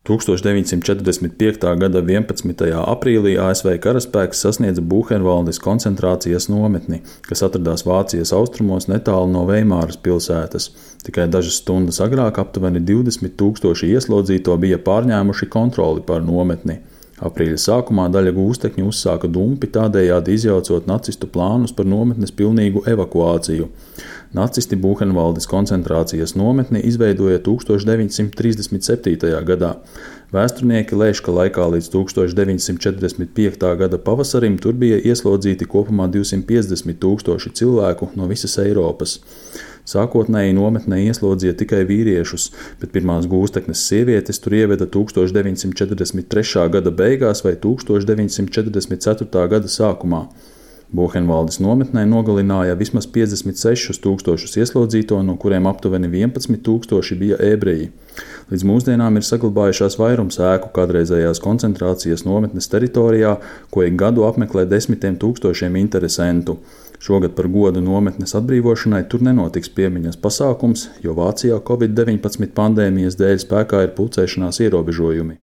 1945. gada 11. aprīlī ASV karaspēks sasniedza Buhenvaldes koncentrācijas nometni, kas atradās Vācijas austrumos netālu no Veimāras pilsētas. Tikai dažas stundas agrāk aptuveni 20,000 ieslodzīto bija pārņēmuši kontroli pār nometni. Aprīļa sākumā daļa gūstekņu uzsāka dumpi, tādējādi izjaucot nacistu plānus par nometnes pilnīgu evakuāciju. Nacisti Buhenvaldes koncentrācijas nometni izveidoja 1937. gadā. Vēsturnieki lēš, ka laikā līdz 1945. gada pavasarim tur bija ieslodzīti kopumā 250,000 cilvēku no visas Eiropas. Sākotnēji nometnē ieslodzīja tikai vīriešus, bet pirmās gūsteknes sievietes tur ieveda 1943. gada beigās vai 1944. gada sākumā. Buhenvaldes nometnē nogalināja vismaz 56,000 ieslodzīto, no kuriem aptuveni 11,000 bija ebreji. Līdz mūsdienām ir saglabājušās vairums ēku kādreizējās koncentrācijas nometnes teritorijā, ko ik gadu apmeklē 10,000 interesentu. Šogad par godu nometnes atbrīvošanai tur nenotiks piemiņas pasākums, jo Vācijā Covid-19 pandēmijas dēļ spēkā ir pulcēšanās ierobežojumi.